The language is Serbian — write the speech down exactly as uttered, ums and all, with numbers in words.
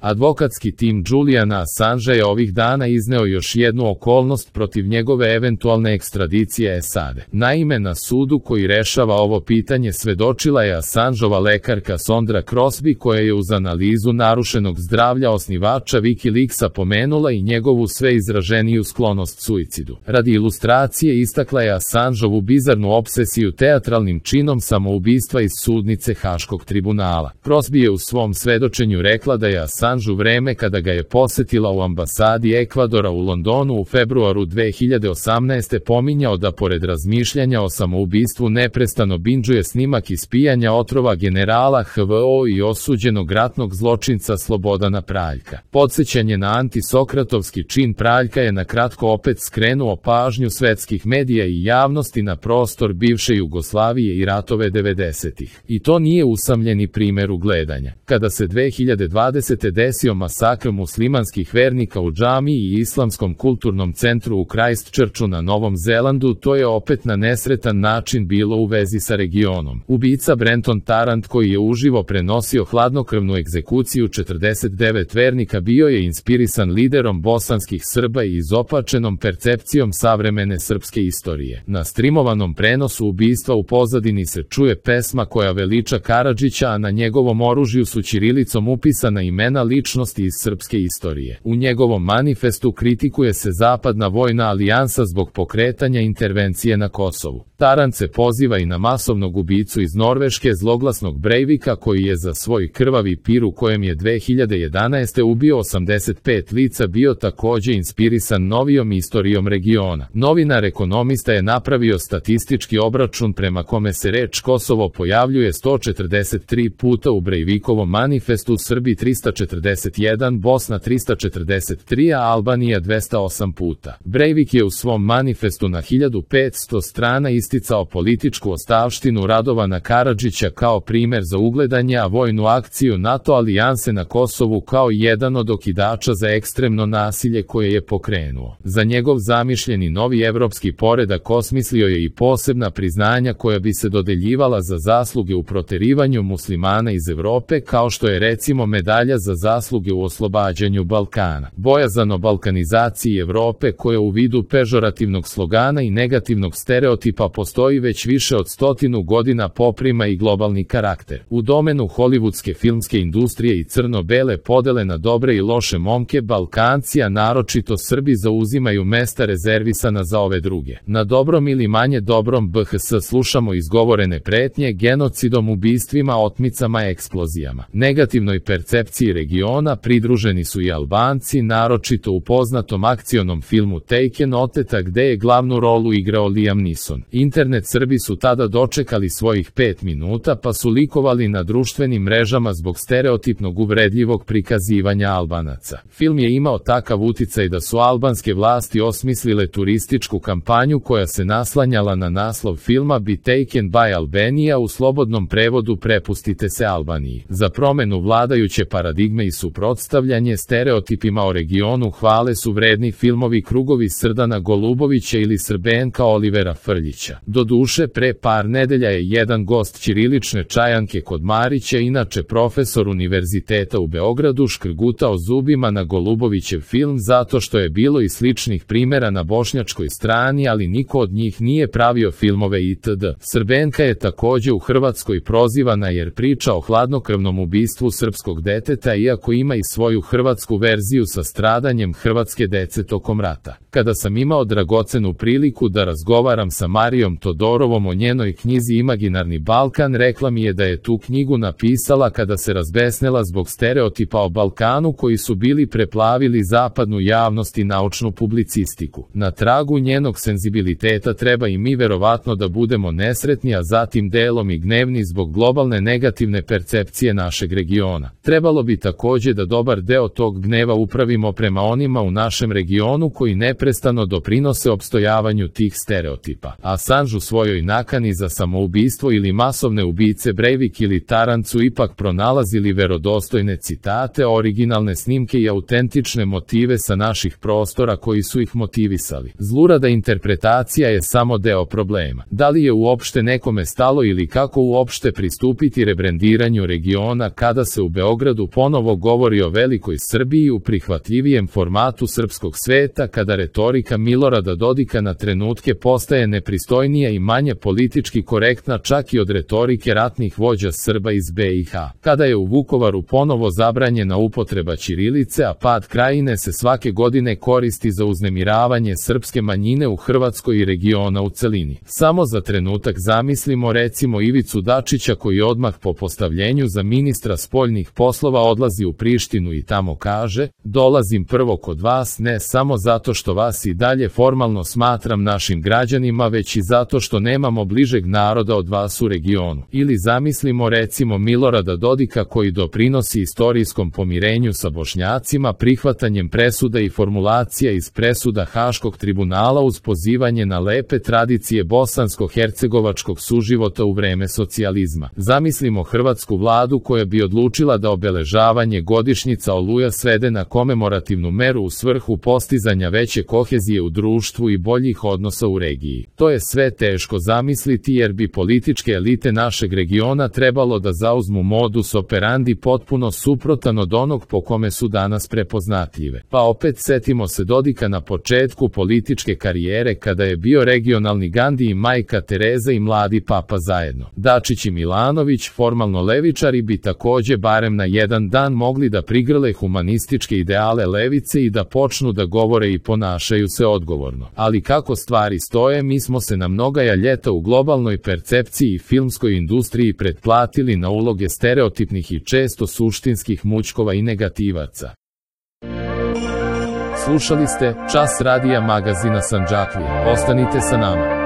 Advokatski tim Juliana Assangea je ovih dana izneo još jednu okolnost protiv njegove eventualne ekstradicije S A D. Naime, na sudu koji rešava ovo pitanje svedočila je Assangeova lekarka Sondra Crosby, koja je uz analizu narušenog zdravlja osnivača Wikileaksa pomenula i njegovu sve izraženiju sklonost suicidu. Radi ilustracije istakla je Assangeovu bizarnu obsesiju teatralnim činom samoubistva iz sudnice Haškog tribunala. Crosby je u svom svedočenju rekla da je Assange u vreme kada ga je posetila u ambasadi Ekvadora u Londonu u februaru dve hiljade osamnaeste pominjao da pored razmišljanja o samoubistvu neprestano bindžuje snimak ispijanja otrova generala H V O i osuđenog ratnog zločinca Slobodana Praljka. Podsećanje na antisokratovski čin Praljka je na kratko opet skrenuo pažnju svetskih medija i javnosti na prostor bivše Jugoslavije i ratove devedesetih. I to nije usamljeni primer ugledanja. Kada se dve hiljade dvadesete desio masakr muslimanskih vernika u džamiji i Islamskom kulturnom centru u Christchurchu na Novom Zelandu, to je opet na nesretan način bilo u vezi sa regionom. Ubica Brenton Tarrant, koji je uživo prenosio hladnokrvnu egzekuciju četrdeset devet vernika, bio je inspirisan liderom bosanskih Srba i izopačenom percepcijom savremene srpske istorije. Na streamovanom prenosu ubistva u pozadini se čuje pesma koja veliča Karadžića, a na njegovom oružju su ćirilicom upisana imena ličnosti iz srpske istorije. U njegovom manifestu kritikuje se Zapadna vojna alijansa zbog pokretanja intervencije na Kosovu. Tarrant se poziva i na masovnog ubicu iz Norveške zloglasnog Breivika, koji je za svoj krvavi pir u kojem je dve hiljade jedanaeste ubio osamdeset pet lica bio takođe inspirisan novijom istorijom regiona. Novinar Ekonomista je napravio statistički obračun prema kome se reč Kosovo pojavljuje sto četrdeset tri puta u Breivikovom manifestu, Srbi trista četrdeset jedan, Bosna trista četrdeset tri, a Albanija dvesta osam puta. Breivik je u svom manifestu na hiljadu petsto strana isticao političku ostavštinu Radovana Karadžića kao primer za ugledanje, a vojnu akciju NATO alijanse na Kosovu kao jedan od okidača za ekstremno nasilje koje je pokrenuo. Za njegov zamišljeni novi evropski poredak osmislio je i posebna priznanja koja bi se dodeljivala za zasluge u proterivanju muslimana iz Evrope, kao što je recimo medalja za zasluge u oslobađanju Balkana. Bojazan o balkanizaciji Evrope, koja u vidu pežorativnog slogana i negativnog stereotipa postoji već više od stotinu godina, poprima i globalni karakter. U domenu holivudske filmske industrije i crno-bele podele na dobre i loše momke, Balkanci, a naročito Srbi, zauzimaju mesta rezervisana za ove druge. Na dobrom ili manje dobrom B H S slušamo izgovorene pretnje genocidom, ubistvima, otmicama, eksplozijama. Negativnoj percepciji regiona pridruženi su i Albanci, naročito u poznatom akcionom filmu Taken, Oteta, gde je glavnu rolu igrao Liam Neeson. Internet Srbi su tada dočekali svojih pet minuta, pa su likovali na društvenim mrežama zbog stereotipnog uvredljivog prikazivanja Albanaca. Film je imao takav uticaj da su albanske vlasti osmislile turističku kampanju koja se naslanjala na naslov filma Be Taken by Albania, u slobodnom prevodu Prepustite se Albaniji. Za promenu vladajuće paradigme i suprotstavljanje stereotipima o regionu hvale su vredni filmovi Krugovi Srdana Golubovića ili Srbenka Olivera Frljića. Doduše, pre par nedelja je jedan gost ćirilične čajanke kod Marića, inače profesor univerziteta u Beogradu, škrgutao zubima na Golubovićev film zato što je bilo i sličnih primera na bošnjačkoj strani, ali niko od njih nije pravio filmove itd. Srbenka je takođe u Hrvatskoj prozivana jer priča o hladnokrvnom ubistvu srpskog deteta, iako ima i svoju hrvatsku verziju sa stradanjem hrvatske dece tokom rata. Kada sam imao dragocenu priliku da razgovaram sa Marijom Todorovom o njenoj knjizi Imaginarni Balkan, rekla mi je da je tu knjigu napisala kada se razbesnela zbog stereotipa o Balkanu koji su bili preplavili zapadnu javnost i naučnu publicistiku. Na tragu njenog senzibiliteta treba i mi verovatno da budemo nesretni, a zatim delom i gnevni zbog globalne negativne percepcije našeg regiona. Trebalo bi takođe da dobar deo tog gneva upravimo prema onima u našem regionu koji neprestano doprinose opstojavanju tih stereotipa. Assange u svojoj nakani za samoubistvo ili masovne ubice Breivik ili Tarrant su ipak pronalazili verodostojne citate, originalne snimke i autentične motive sa naših prostora koji su ih motivisali. Zlurada interpretacija je samo deo problema. Da li je uopšte nekome stalo ili kako uopšte pristupiti rebrendiranju regiona kada se u Beogradu ponovo ovo govori o velikoj Srbiji u prihvatljivijem formatu srpskog sveta, kada retorika Milorada Dodika na trenutke postaje nepristojnija i manje politički korektna čak i od retorike ratnih vođa Srba iz be i ha. Kada je u Vukovaru ponovo zabranjena upotreba ćirilice, a pad Krajine se svake godine koristi za uznemiravanje srpske manjine u Hrvatskoj i regiona u celini. Samo za trenutak zamislimo recimo Ivicu Dačića, koji odmah po postavljenju za ministra spoljnih poslova odlazi u Prištinu i tamo kaže: dolazim prvo kod vas ne samo zato što vas i dalje formalno smatram našim građanima, već i zato što nemamo bližeg naroda od vas u regionu. Ili zamislimo recimo Milorada Dodika, koji doprinosi istorijskom pomirenju sa Bošnjacima prihvatanjem presuda i formulacija iz presuda Haškog tribunala uz pozivanje na lepe tradicije bosansko-hercegovačkog suživota u vreme socijalizma. Zamislimo hrvatsku vladu koja bi odlučila da obeležavanje godišnjica Oluja svede na komemorativnu meru u svrhu postizanja veće kohezije u društvu i boljih odnosa u regiji. To je sve teško zamisliti, jer bi političke elite našeg regiona trebalo da zauzmu modus operandi potpuno suprotan od onog po kome su danas prepoznatljive. Pa opet setimo se Dodika na početku političke karijere, kada je bio regionalni Gandi i majka Tereza i mladi papa zajedno. Dačić i Milanović, formalno levičari, bi takođe barem na jedan dan mogli da prigrle humanističke ideale levice i da počnu da govore i ponašaju se odgovorno. Ali kako stvari stoje, mi smo se na mnogaja ljeta u globalnoj percepciji i filmskoj industriji pretplatili na uloge stereotipnih i često suštinskih mućkova i negativaca. Slušali ste Čas radija magazina Sandžaklije. Ostanite sa nama.